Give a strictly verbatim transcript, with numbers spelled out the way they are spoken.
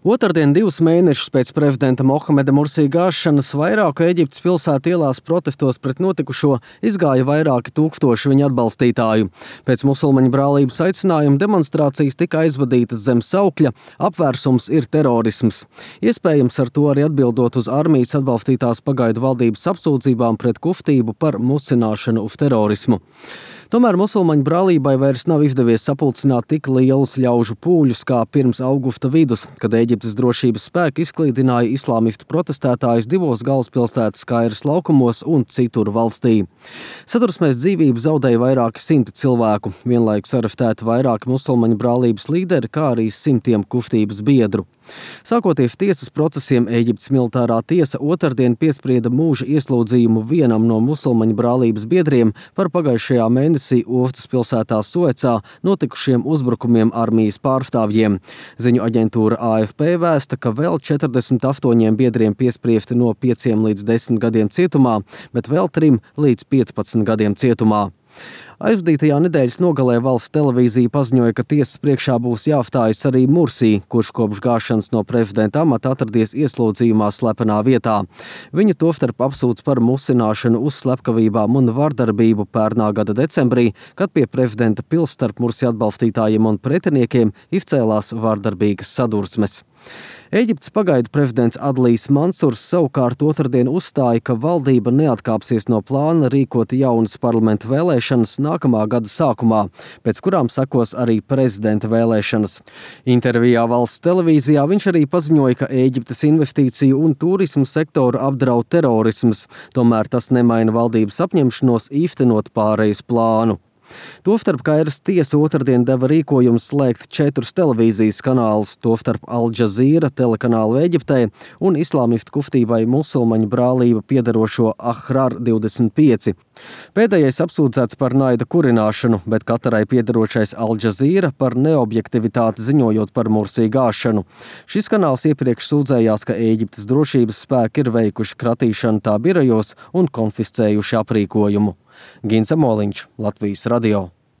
Otrdien, divus mēnešus pēc prezidenta Mohameda Mursī gāšanas, vairāku Ēģiptes pilsētu ielās protestos pret notikušo izgāja vairāki tūkstoši viņa atbalstītāju. Pēc musulmaņu brālības aicinājuma demonstrācijas tika aizvadītas zem saukļa "Apvērsums ir terorisms". Iespējams, ar to arī atbildot uz armijas atbalstītās pagaidu valdības apsūdzībām pret kustību par musināšanu uz terorismu. Tomēr musulmaņu brālībai vairs nav izdevies sapulcināt tik lielus ļaužu pūļus kā pirms augusta vidus, kad Ēģiptes drošības spēki izklīdināja islāmistu protestētājus divos galvaspilsētas Kairas laukumos un citur valstī. Sadursmēs dzīvību zaudēja vairāki simti cilvēku, vienlaikus arestēti vairāki musulmaņu brālības līderi, kā arī simtiem kustības biedru. Sākoties tiesas procesiem, Ēģiptes militārā tiesa otrdien piesprieda mūža ieslodzījumu vienam no musulmaņu brālības biedriem par pagājušajā mēnesī ostas pilsētā Suecā notikušiem uzbrukumiem armijas pārstāvjiem. Ziņu aģentūra A F P vēsta, ka vēl četrdesmit astoņiem biedriem piespriesti no pieciem līdz desmit gadiem cietumā, bet vēl trim līdz piecpadsmit gadiem cietumā. Aizvadītajā nedēļas nogalē valsts televīzija paziņoja, ka tiesas priekšā būs jāstājas arī Mursī, kurš kopš gāšanas no prezidenta amata atradies ieslodzījumā slepenā vietā. Viņu tostarp apsūdz par musināšanu uz slepkavībām un vardarbību pērnā gada decembrī, kad pie prezidenta pils starp Mursī atbalstītājiem un pretiniekiem izcēlās vardarbīgas sadursmes. Ēģiptes pagaidu prezidents Adlijs Mansurs savukārt otrdien uzstāja, ka valdība neatkāpsies no plāna rīkot jaunas parlamenta vēlēšanas nākamā gada sākumā, pēc kurām sekos arī prezidenta vēlēšanas. Intervijā valsts televīzijā viņš arī paziņoja, ka Ēģiptes investīciju un turismu sektoru apdraud terorisms, tomēr tas nemaina valdības apņemšanos īstenot pārejas plānu. Tostarp Kairas tiesa otrdien deva rīkojumu slēgt četrus televīzijas kanālus, tostarp Al Jazeera telekanālu Ēģiptē un islāmistu kustībai musulmaņu brālība piederošo Ahrar divdesmit pieci. Pēdējais apsūdzēts par naida kurināšanu, bet Katarai piederošais Al Jazeera par neobjektivitāti ziņojot par Mursī gāšanu. Šis kanāls iepriekš sūdzējās, ka Ēģiptes drošības spēki ir veikuši kratīšanu tā birojos un konfiscējuši aprīkojumu. Gins Amoliņš, Latvijas radio.